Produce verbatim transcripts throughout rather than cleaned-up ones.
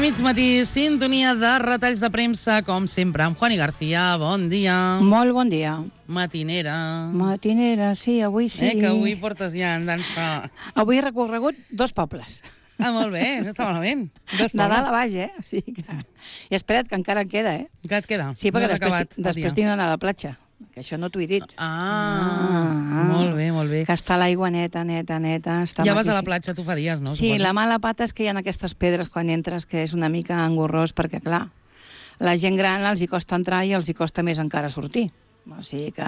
mig matí, sintonia de retalls de premsa, com sempre, amb Juani García. Bon dia. Molt bon dia. Matinera. Matinera, sí, avui sí. Eh, que avui portes ja en dansa. Avui he recorregut dos pobles. Ah, molt bé, no està malament. Dos de dalt a baix, eh? O sigui que... I espera't, que encara en queda, eh? Que et queda? Sí, perquè no després, acabat, després tinc d'anar a la platja, que això no t'ho he dit. Ah, ah, molt bé, molt bé. Que està l'aigua neta, neta, neta. Està ja vas maquíssim. a la platja, tu fa dies, no? Sí, Suposo. la mala pata és que hi ha aquestes pedres quan entres, que és una mica engorrós, perquè, clar, la gent gran els hi costa entrar i els hi costa més encara sortir. O sigui que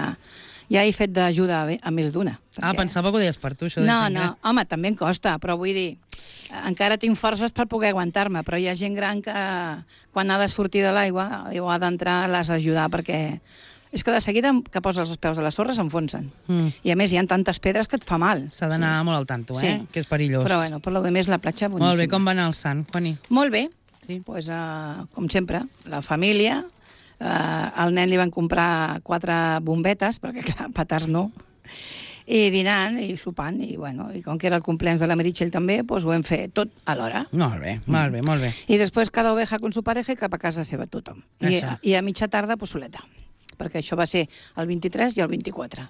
ja he fet d'ajuda a, a més d'una. Ah, perquè... pensava que ho deies per tu, això de No, gent no, gran. home, també em costa, però vull dir, encara tinc forces per poder aguantar-me, però hi ha gent gran que quan ha de sortir de l'aigua o ha d'entrar l'has d'ajudar, perquè és que de seguida que poses els peus a la sorra s'enfonsen. Mm. I a més hi ha tantes pedres que et fa mal. S'ha d'anar sí. molt al tanto, eh? Sí. Que és perillós. Però bueno, per lo de més la platja boníssima. Molt bé, com va anar el sant, Juani? Molt bé, sí. pues, uh, com sempre, la família, uh, al nen li van comprar quatre bombetes, perquè clar, petards no, i dinant i sopant, i bueno, i com que era el cumpleaños de la Meritxell també, pues ho hem fet tot alhora. Molt bé, molt bé, molt bé. I després cada oveja con su pareja i cap a casa seva tothom. I, i a mitja tarda, pues soleta, perquè això va ser el vint-i-tres i el vint-i-quatre.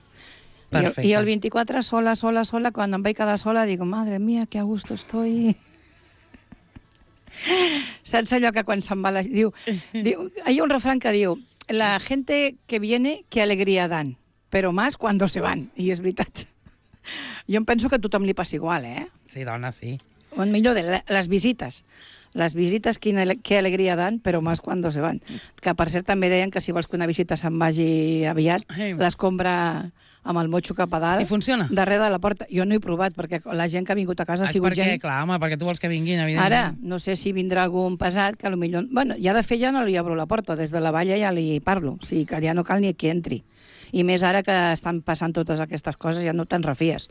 Perfecte. I el, I el vint-i-quatre, sola, sola, sola, quan em vaig quedar sola, dic, madre mía, que a gusto estoy... Saps allò que quan se'n va la... Diu, diu, hi ha un refrán que diu, la gente que viene, que alegría dan, pero más cuando se van. I és veritat. Jo em penso que a tothom li passa igual, eh? Sí, dona, sí. O millor, de les visites. Les visites, quina, que alegria dan, però més quan se van. Que, per cert, també deien que si vols que una visita se'n vagi aviat, hey. l'escombra amb el motxo cap a dalt. I funciona? Darrere de la porta. Jo no he provat, perquè la gent que ha vingut a casa ha sigut perquè, gent... Clar, home, perquè tu vols que vinguin, evidentment. Ara, no sé si vindrà algun pesat, que potser... Bueno, ja de fet ja no li obro la porta, des de la valla ja li parlo, o sigui que ja no cal ni que entri. I més ara que estan passant totes aquestes coses, ja no te'n refies.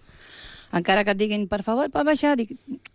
Encara que et diguin, per favor, pot baixar, dic,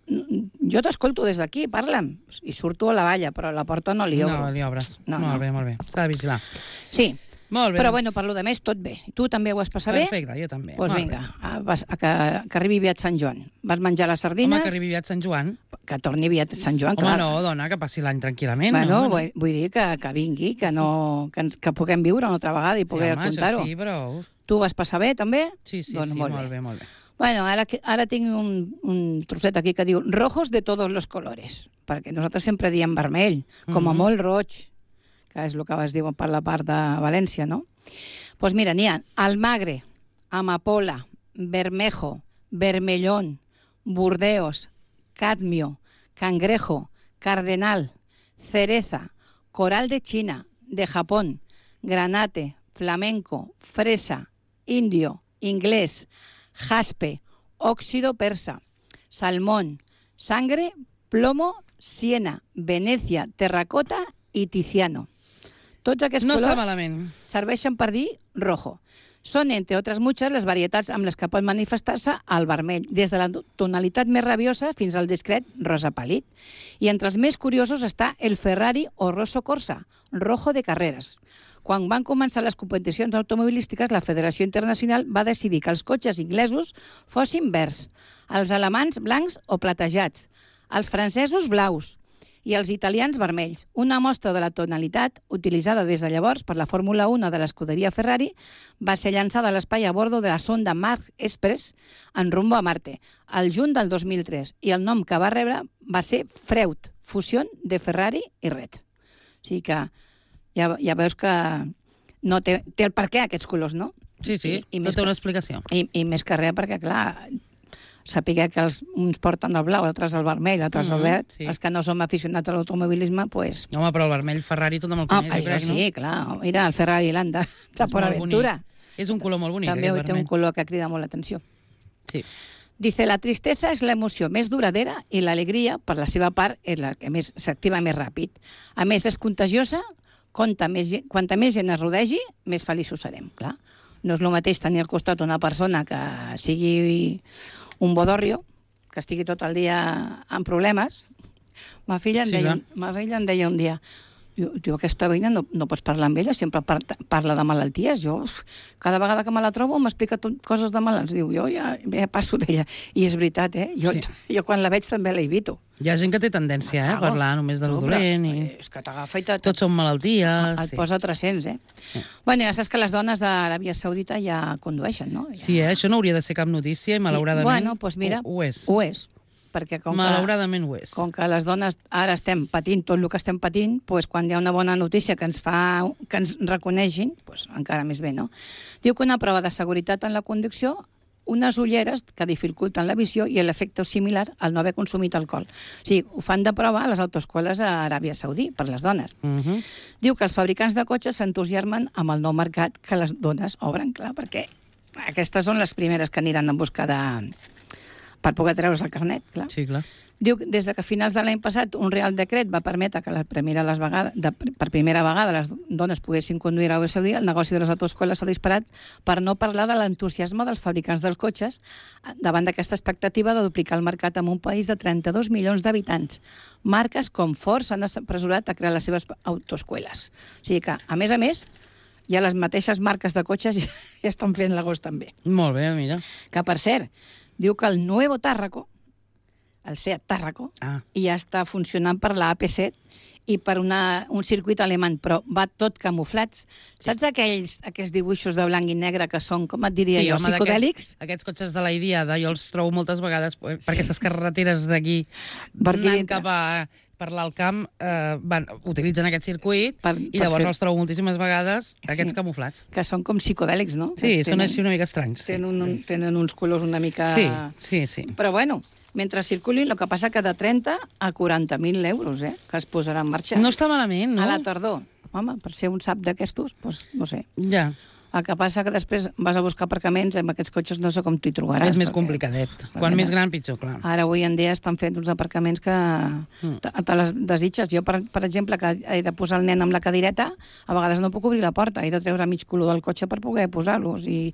jo t'escolto des d'aquí, parla'm. I surto a la valla, però a la porta no li obro. No, li obres. No, molt no. bé, molt bé. S'ha de vigilar. Sí. Molt bé. Però, doncs... bueno, per lo de més, tot bé. Tu també ho vas passar bé? Perfecte, jo també. Doncs pues vinga, a, a, que, que arribi aviat Sant Joan. Vas menjar les sardines? Home, que arribi aviat Sant Joan. Que torni aviat Sant Joan, Home, clar. no, dona, que passi l'any tranquil·lament. Bueno, no, vull, vull dir que, que vingui, que, no, que, ens, que puguem viure una altra vegada i poder sí, contar-ho. Sí, però... Tu vas passar bé, també? Sí, sí, doncs sí, molt, molt bé. bé, molt bé. Bueno, ara, ara tinc un, un trosset aquí que diu rojos de todos los colores, perquè nosaltres sempre diem vermell, com a Mm-hmm. molt roig, que és el que es diu per la part de València, no? Doncs pues mira, n'hi ha almagre, amapola, bermejo, vermellón, burdeos, cadmio, cangrejo, cardenal, cereza, coral de China, de Japón, granate, flamenco, fresa, indio, inglés, jaspe, óxido persa, salmón, sangre, plomo, siena, Venecia, terracota i tiziano. Tots aquests no colors serveixen per dir rojo. Són, entre altres muchas, les varietats amb les que pot manifestar-se el vermell, des de la tonalitat més rabiosa fins al discret rosa pàl·lid. I entre els més curiosos està el Ferrari o Rosso Corsa, rojo de carreres. Quan van començar les competicions automobilístiques, la Federació Internacional va decidir que els cotxes inglesos fossin verds, els alemans blancs o platejats, els francesos blaus i els italians vermells. Una mostra de la tonalitat, utilitzada des de llavors per la Fórmula un de l'escuderia Ferrari, va ser llançada a l'espai a bordo de la sonda Mars Express en rumbo a Marte, al juny del dos mil tres, i el nom que va rebre va ser Freud, fusió de Ferrari i Red. O sigui que ja, ja veus que no té, té el per què aquests colors, no? Sí, sí, I, i tota una explicació. I, I més que res, perquè, clar, saber que els, uns porten el blau, altres el vermell, altres mm -hmm, el verd, sí. Els que no som aficionats a l'automobilisme, doncs... Pues... Home, però el vermell Ferrari tothom el coneix, oh, jo crec, sí, no? Sí, clar, mira, el Ferrari Landa, de Port Aventura. És un color molt bonic, també aquest té vermell. un color que crida molt l'atenció. Sí. Dice, la tristesa és l'emoció més duradera i l'alegria, per la seva part, és la que més s'activa més ràpid. A més, és contagiosa, quanta més, quanta més gent es rodegi, més feliços serem, clar. No és el mateix tenir al costat una persona que sigui un bodorrio, que estigui tot el dia amb problemes. Ma filla em, Sí, deia, clar. ma filla em deia un dia, diu, diu aquesta veïna no, no pots parlar amb ella, sempre par parla de malalties. Jo, uf, cada vegada que me la trobo m'explica coses de malalts. Diu, jo ja, ja passo d'ella. I és veritat, eh? Jo, sí. jo quan la veig també la evito. Hi ha gent que té tendència eh, a parlar només de lo dolent. I... És que t'agafa i te... Tots són malalties. Et sí. posa tres-cents, eh? Sí. Bueno, ja saps que les dones a l'Aràbia Saudita ja condueixen, no? Ja... Sí, eh? Això no hauria de ser cap notícia i malauradament I, bueno, doncs mira, ho, ho és. Ho és. Perquè com malauradament que, ho és. Com que les dones ara estem patint tot el que estem patint, doncs quan hi ha una bona notícia que ens fa que ens reconeixin, doncs encara més bé, no? Diu que una prova de seguretat en la conducció, unes ulleres que dificulten la visió i l'efecte similar al no haver consumit alcohol. O sigui, ho fan de prova a les autoescoles a Aràbia Saudí, per les dones. Uh -huh. Diu que els fabricants de cotxes s'entusiasmen amb el nou mercat que les dones obren, clar, perquè aquestes són les primeres que aniran en busca de... per poder treure's el carnet, clar. Sí, clar. Diu que des de que a finals de l'any passat un Real Decret va permetre que la primera les vegada, de, per primera vegada les dones poguessin conduir a Aràbia Saudí, el negoci de les autoescoles s'ha disparat, per no parlar de l'entusiasme dels fabricants dels cotxes davant d'aquesta expectativa de duplicar el mercat en un país de trenta-dos milions d'habitants. Marques com Ford s'han apressurat a crear les seves autoescoles. O sigui que, a més a més, ja les mateixes marques de cotxes ja, ja estan fent l'agost també. Molt bé, mira. Que, per cert, diu que el Nuevo Tárraco, el Seat Tárraco, ah. ja està funcionant per la A P set i per una, un circuit alemany, però va tot camuflats. Sí. Saps aquells, aquells dibuixos de blanc i negre que són, com et diria sí, jo, home, psicodèlics? Aquests cotxes de la Idiada, jo els trobo moltes vegades per sí. aquestes carreteres d'aquí, Perquè... anant cap a... per l'alt camp, eh, van, utilitzen aquest circuit per, i per llavors fer... els trobo moltíssimes vegades, aquests sí. camuflats. Que són com psicodèlics, no? Sí, tenen, són així una mica estranys. Tenen, un, tenen uns colors una mica... Sí, sí, sí. Però bueno, mentre circulin, el que passa que de trenta a quaranta mil euros, eh, que es posarà en marxa. No està malament, no? A la tardor. Home, per ser un sap d'aquestos, doncs no sé. Ja. El que passa que després vas a buscar aparcaments amb aquests cotxes, no sé com t'hi trobaràs. És més complicadet. Quan més gran, pitjor, clar. Ara, avui en dia, estan fent uns aparcaments que mm. te, te les desitges. Jo, per, per exemple, que he de posar el nen amb la cadireta, a vegades no puc obrir la porta, he de treure mig color del cotxe per poder posar-los. I,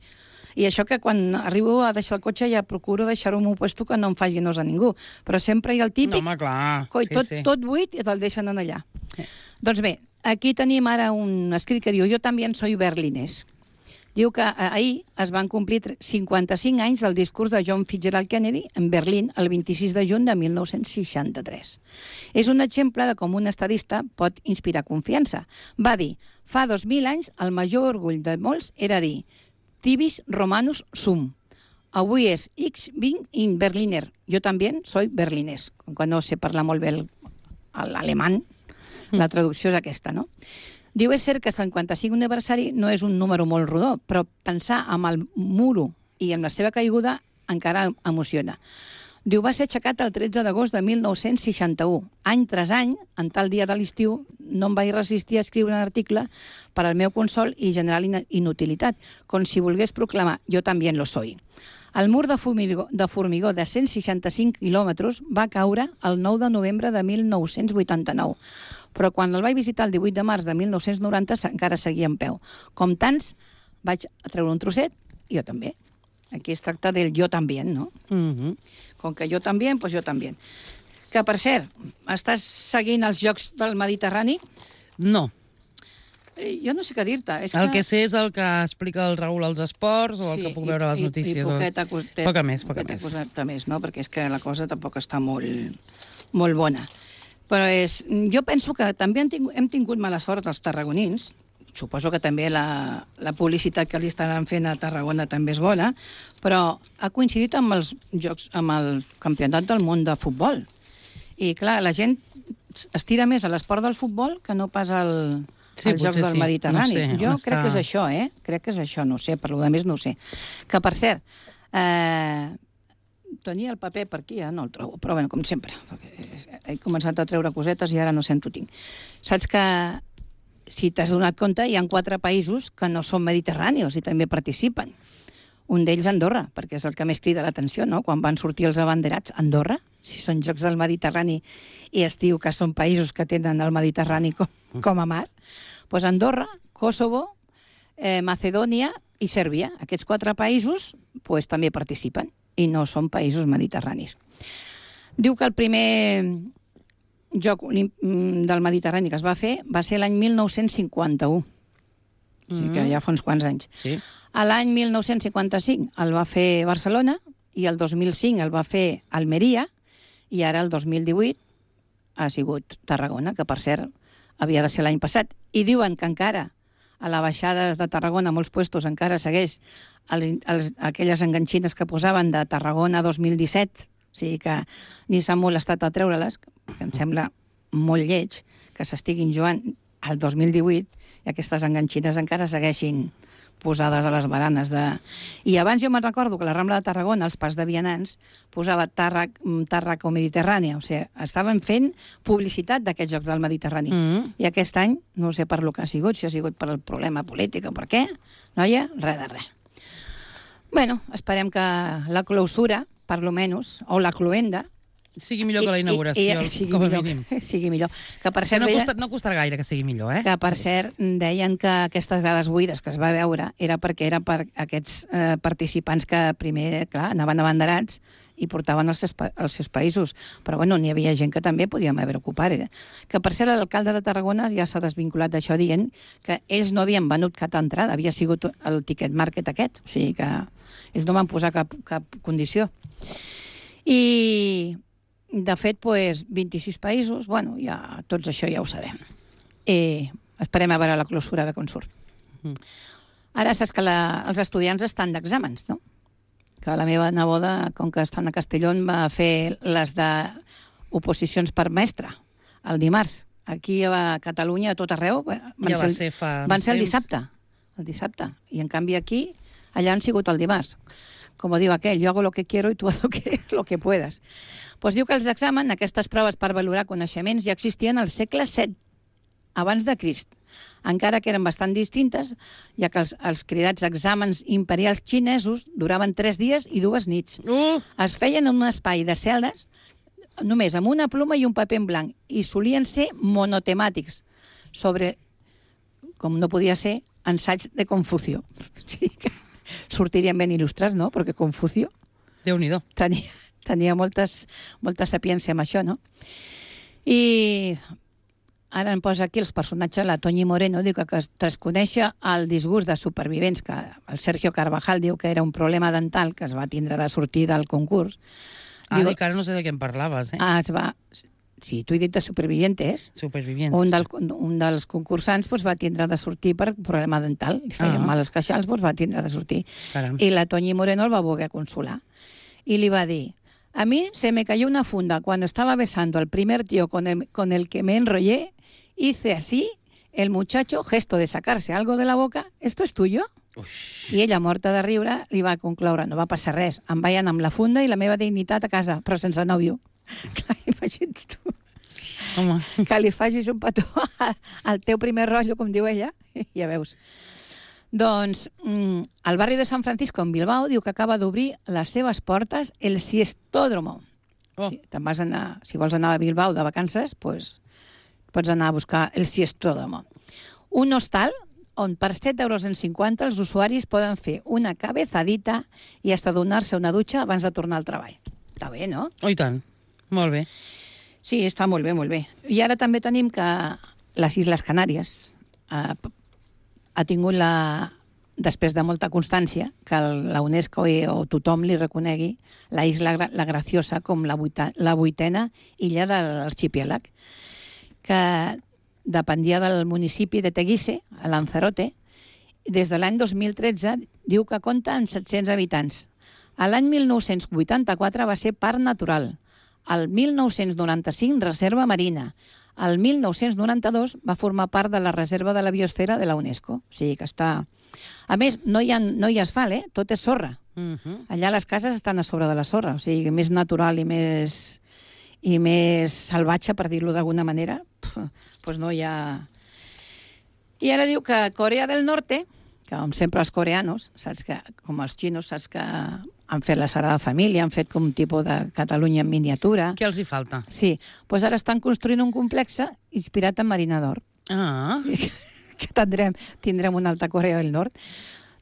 I això que quan arribo a deixar el cotxe ja procuro deixar-ho en un puesto que no em faci nosa a ningú. Però sempre hi ha el típic... No, home, clar. Coi, sí, tot, sí. tot buit i te'l deixen en allà. Sí. Doncs bé, aquí tenim ara un escrit que diu «Jo també soy berlinès». Diu que ahir es van complir cinquanta-cinc anys del discurs de John Fitzgerald Kennedy en Berlín el vint-i-sis de juny de mil nou-cents seixanta-tres. És un exemple de com un estadista pot inspirar confiança. Va dir, fa dos mil anys el major orgull de molts era dir «Tibis romanus sum». Avui és «Ich bin in Berliner». Jo també soy berlinès. Com que no sé parlar molt bé l'alemany, la traducció és aquesta, no? Diu, és cert que el cinquanta-cinc aniversari no és un número molt rodó, però pensar amb el muro i amb la seva caiguda encara emociona. Diu, va ser aixecat el tretze d'agost de mil nou-cents seixanta-u. Any tras any, en tal dia de l'estiu, no em vaig resistir a escriure un article per al meu consol i general inutilitat, com si volgués proclamar, jo també lo soy. El mur de formigó, de formigó de cent seixanta-cinc quilòmetres va caure el nou de novembre de mil nou-cents vuitanta-nou, però quan el vaig visitar el divuit de març de mil nou-cents noranta encara seguia en peu. Com tants, vaig treure un trosset, i jo també. Aquí es tracta del jo també, no? Mm-hmm. Com que jo també, doncs jo també. Que, per cert, estàs seguint els Jocs del Mediterrani? No. Jo no sé què dir-te. És el que... que sé és el que explica el Raül als esports o el sí, que puc veure a les i, notícies. I, i poqueta, poqueta, poca més, poca més. Poqueta més, no? Perquè és que la cosa tampoc està molt, molt bona. Però és, jo penso que també hem tingut, hem tingut mala sort els tarragonins. Suposo que també la, la publicitat que li estaran fent a Tarragona també és bona, però ha coincidit amb els jocs, amb el campionat del món de futbol. I clar, la gent estira més a l'esport del futbol que no pas al, sí, als Jocs del sí. Mediterrani. No sé, jo està... crec que és això, eh? Crec que és això, no sé, per lo de més no ho sé. Que, per cert, eh, tenia el paper per aquí, eh? No el trobo, però bueno, com sempre. He començat a treure cosetes i ara no sé on ho tinc. Saps que, si t'has donat compte, hi ha quatre països que no són mediterranis i també participen. Un d'ells Andorra, perquè és el que més crida l'atenció, no? Quan van sortir els abanderats, Andorra, si són Jocs del Mediterrani i es diu que són països que tenen el Mediterrani com, com a mar, doncs Andorra, Kosovo, eh, Macedònia i Sèrbia. Aquests quatre països pues, també participen i no són països mediterranis. Diu que el primer joc olímpic del Mediterrani que es va fer va ser l'any mil nou-cents cinquanta-u. Mm. O sigui que ja fa uns quants anys. Sí. A l'any mil nou-cents cinquanta-cinc el va fer Barcelona i el dos mil cinc el va fer Almeria i ara el dos mil divuit ha sigut Tarragona, que per cert havia de ser l'any passat. I diuen que encara a la baixada de Tarragona, a molts puestos, encara segueix els, els, aquelles enganxines que posaven de Tarragona dos mil disset. O sigui que ni s'ha molestat a treure-les, que em sembla molt lleig que s'estiguin jugant al dos mil divuit i aquestes enganxines encara segueixin posades a les baranes de... I abans jo me'n recordo que la Rambla de Tarragona, als parcs de vianants, posava Tàrrac, Tàrrac o Mediterrània. O sigui, estaven fent publicitat d'aquests jocs del Mediterrani. Mm. I aquest any, no sé per lo que ha sigut, si ha sigut per el problema polític o per què, noia, res de res. Bueno, esperem que la clausura, per lo menys, o la cluenda, sigui millor que la inauguració, com a mínim. Sigui millor. Que per cert, no, deia, costa, no costarà gaire que sigui millor, eh? Que per cert deien que aquestes grades buides que es va veure era perquè era per aquests eh, participants que primer, clar, anaven abanderats i portaven els seus, els seus països. Però bueno, n'hi havia gent que també podíem haver ocupat. Eh? Que per cert, l'alcalde de Tarragona ja s'ha desvinculat d'això dient que ells no havien venut cap entrada, havia sigut el ticket market aquest. O sigui que ells no van posar cap, cap condició. I... De fet, pues, vint-i-sis països, bueno, ja, tots això ja ho sabem. I esperem a veure la clausura de com surt. Mm. Ara saps que la, els estudiants estan d'exàmens, no? Que la meva neboda, com que estan a Castellón, va fer les d'oposicions per mestre el dimarts. Aquí a Catalunya, a tot arreu, van, ja ser, va ser, fa van ser el temps. dissabte. El dissabte. I en canvi aquí, allà han sigut el dimarts. Com diu aquell, yo hago lo que quiero y tú haz lo que, lo que puedas. Pues diu que els exàmens, aquestes proves per valorar coneixements, ja existien al segle set, abans de Crist, encara que eren bastant distintes, ja que els, els cridats exàmens imperials xinesos duraven tres dies i dues nits. Uh! Es feien en un espai de cel·les, només amb una pluma i un paper en blanc, i solien ser monotemàtics, sobre, com no podia ser, ensaig de Confucio. Sí que sortirien ben il·lustrats, no? Perquè Confucio Déu-n'hi-do. tenia, tenia moltes, molta sapiència amb això, no? I ara em posa aquí els personatges, la Toñi Moreno diu que, que tras conèixer el disgust de supervivents, que el Sergio Carvajal diu que era un problema dental, que es va tindre de sortir del concurs. Ah, diu, dic, ara no sé de què em parlaves, eh? Ah, es va... Sí, t'ho he dit de supervivientes. Supervivientes. Un, del, un dels concursants doncs, va tindre de sortir per problema dental. Li feien Ah. mal els queixals, doncs, va tindre de sortir. Caram. I la Toñi Moreno el va voler consolar. Y le va a decir, a mí se me cayó una funda cuando estaba besando al primer tío con el, con el que me enrollé, hice así, el muchacho, gesto de sacarse algo de la boca, ¿esto es tuyo? Ui. I ella, morta de riure, li va concloure, no va passar res, em vaig anar amb la funda i la meva dignitat a casa, però sense nòvio. Clar, imagina't tu. Home. Que li facis un petó al teu primer rotllo, com diu ella, ja veus. Doncs mm, el barri de San Francisco, en Bilbao, diu que acaba d'obrir les seves portes el Siestódromo. Oh. Si, te'n vas anar, si vols anar a Bilbao de vacances, pues, pots anar a buscar el Siestódromo. Un hostal on per set euros en cinquanta els usuaris poden fer una cabezadita i hasta donar-se una dutxa abans de tornar al treball. Està bé, no? Oh, i tant. Molt bé. Sí, està molt bé, molt bé. I ara també tenim que les Isles Canàries eh, ha tingut la, després de molta constància, que la UNESCO o tothom li reconegui la Isla La Graciosa com la, vuita, la vuitena illa de l'arxipèlag, que dependia del municipi de Teguise, a Lanzarote. Des de l'any dos mil tretze diu que compta amb set-cents habitants. A l'any mil nou-cents vuitanta-quatre va ser parc natural. El mil nou-cents noranta-cinc, reserva marina. El mil nou-cents noranta-dos va formar part de la reserva de la biosfera de la UNESCO. O sigui que està... A més, no hi ha, no hi ha asfalt, eh? Tot és sorra. Uh-huh. Allà les cases estan a sobre de la sorra. O sigui, més natural i més, i més salvatge, per dir-lo d'alguna manera, doncs no hi ha... I ara diu que Corea del Norte, que com sempre els coreanos, saps que, com els xinos, saps que han fet la Sagrada Família, han fet com un tipus de Catalunya en miniatura. Què els hi falta? Sí, doncs ara estan construint un complex inspirat en Marina d'Or. Ah. Sí, que tindrem, tindrem una alta Corea del Nord.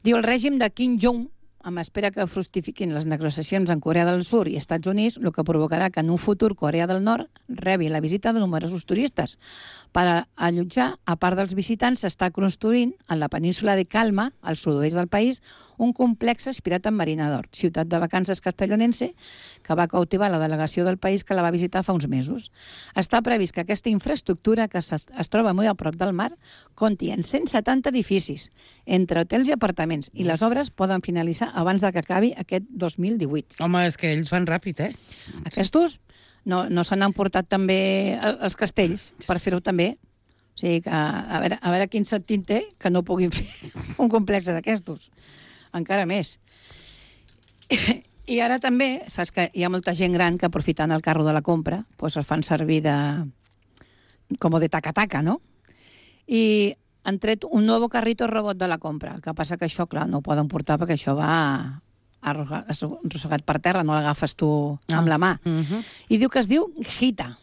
Diu, el règim de Kim Jong, amb espera que fructifiquin les negociacions en Corea del Sud i Estats Units, el que provocarà que en un futur Corea del Nord rebi la visita de numerosos turistes. Per allotjar, a part dels visitants, s'està construint en la península de Calma, al sud-oest del país, un complex inspirat en Marina d'Or, ciutat de vacances castellonense, que va cautivar la delegació del país que la va visitar fa uns mesos. Està previst que aquesta infraestructura, que es, es troba molt a prop del mar, compti en cent setanta edificis, entre hotels i apartaments, i les obres poden finalitzar abans de que acabi aquest dos mil divuit. Home, és que ells van ràpid, eh? Aquestos no, no se n'han portat també els castells per fer-ho també. O sigui, que a veure, a veure quin sentit té que no puguin fer un complex d'aquestos. Encara més. I ara també, saps que hi ha molta gent gran que aprofitant el carro de la compra doncs el fan servir de... com de taca-taca, no? I han tret un nou carrito robot de la compra. El que passa que això, clar, no ho poden portar perquè això va arrossegat per terra, no l'agafes tu amb la mà. Uh-huh. I diu que es diu Gita.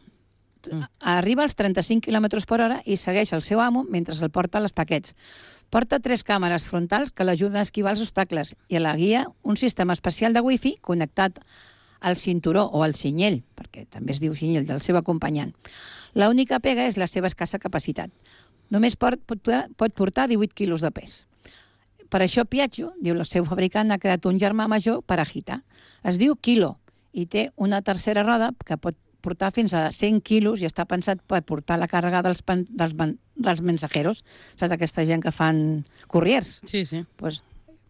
Arriba als trenta-cinc quilòmetres per hora i segueix el seu amo mentre el porta als paquets. Porta tres càmeres frontals que l'ajuden a esquivar els obstacles i a la guia un sistema especial de wifi connectat al cinturó o al cinyell, perquè també es diu cinyell, del seu acompanyant. L'única pega és la seva escassa capacitat. Només pot, pot, pot portar divuit quilos de pes. Per això Piaggio, diu el seu fabricant, ha creat un germà major per a Gita. Es diu Kilo i té una tercera roda que pot portar fins a cent quilos i està pensat per portar la càrrega dels, pan, dels, dels mensajeros. Saps aquesta gent que fan couriers? Sí, sí. Pues,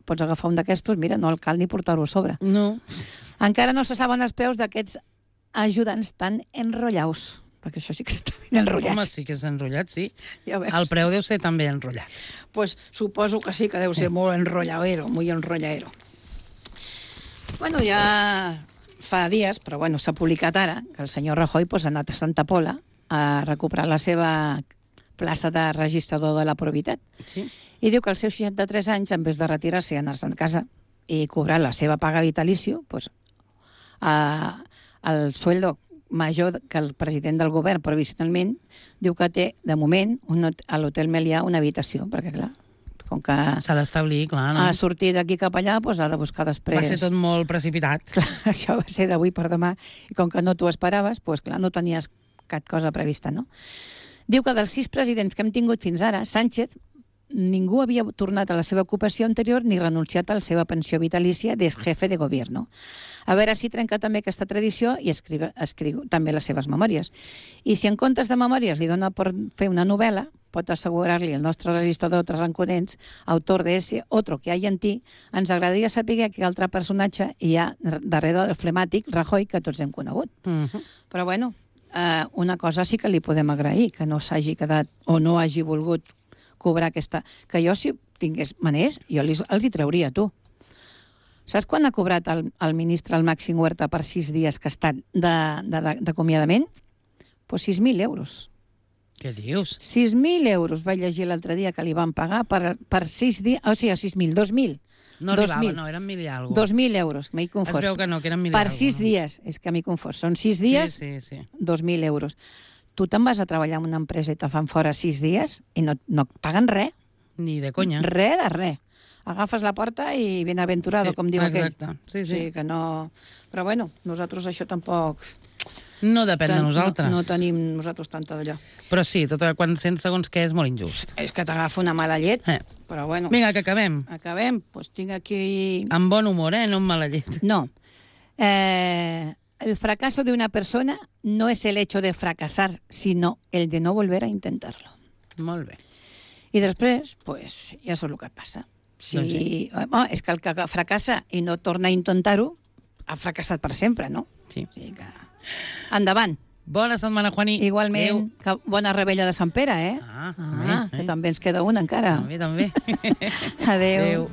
pots agafar un d'aquestos, mira, no cal ni portar-ho a sobre. No. Encara no se saben els preus d'aquests ajudants tan enrotllaus, perquè això sí que està ben enrotllat. Home, sí que és enrotllat, sí. Ja veus. El preu deu ser també enrotllat. Pues suposo que sí que deu ser molt enrotllaero, muy enrotllaero. Bueno, ja fa dies, però bueno, s'ha publicat ara, que el senyor Rajoy pues, ha anat a Santa Pola a recuperar la seva plaça de registrador de la Probitat. Sí. I diu que als seus seixanta-tres anys, en vez de retirar-se i anar-se'n a casa i cobrar la seva paga vitalicio, pues, a, el sueldo major que el president del govern provisionalment, diu que té, de moment, un, a l'Hotel Melià una habitació, perquè, clar, com que s'ha d'establir, clar, no? ha sortit d'aquí cap allà, doncs ha de buscar després... Va ser tot molt precipitat. Clar, això va ser d'avui per demà, i com que no t'ho esperaves, doncs, clar, no tenies cap cosa prevista, no? Diu que dels sis presidents que hem tingut fins ara, Sánchez, ningú havia tornat a la seva ocupació anterior ni renunciat a la seva pensió vitalícia d'ex jefe de gobierno. A veure si trenca també aquesta tradició i escriu, escriu també les seves memòries. I si en comptes de memòries li dona per fer una novel·la, pot assegurar-li el nostre registrador de Tranconents, autor de ese otro que hay en ti, ens agradaria saber que altre personatge hi ha darrere del flemàtic Rajoy que tots hem conegut. Uh-huh. Però bueno, eh, una cosa sí que li podem agrair, que no s'hagi quedat o no hagi volgut cobrar aquesta... Que jo, si tingués maners, jo els, els hi trauria, tu. Saps quan ha cobrat el, el ministre, el Màxim Huerta, per sis dies que ha estat d'acomiadament? Pues sis mil euros. Què dius? sis mil euros vaig llegir l'altre dia que li van pagar per, per sis dies... O sigui, sis mil, dos mil. No arribava, no, eren mil i alguna cosa. Dos mil euros, m'he confós. Es veu que no, que eren mil i per alguna sis cosa. dies, és que m'he confós. Són sis dies, sí, sí, sí. dos mil euros. Tu te'n vas a treballar en una empresa i te fan fora sis dies i no, no et paguen res. Ni de conya. Res de res. Agafes la porta i ben aventurado, Sí, com diu aquell. exacte. Sí, sí. O sigui que no... Però bueno, nosaltres això tampoc... No depèn de nosaltres. No, no tenim nosaltres tanta d'allò. Però sí, tot el- quan sents segons què és molt injust. És que t'agafa una mala llet, Eh. però bueno. Vinga, que acabem. Acabem. Doncs tinc aquí... Amb bon humor, eh? No amb mala llet. No. Eh, el fracaso de una persona no es el hecho de fracasar, sino el de no volver a intentarlo. Molt bé. I després, pues, ja saps el que passa. Si, Doncs sí. oh, és que el que fracassa i no torna a intentar-ho, ha fracassat per sempre, no? Sí. O sigui que... Endavant. Bona setmana, Juani. Igualment, que bona rebella de Sant Pere, eh? Ah, ah bé, que eh? també ens queda una encara. També, també. Adéu. Adéu.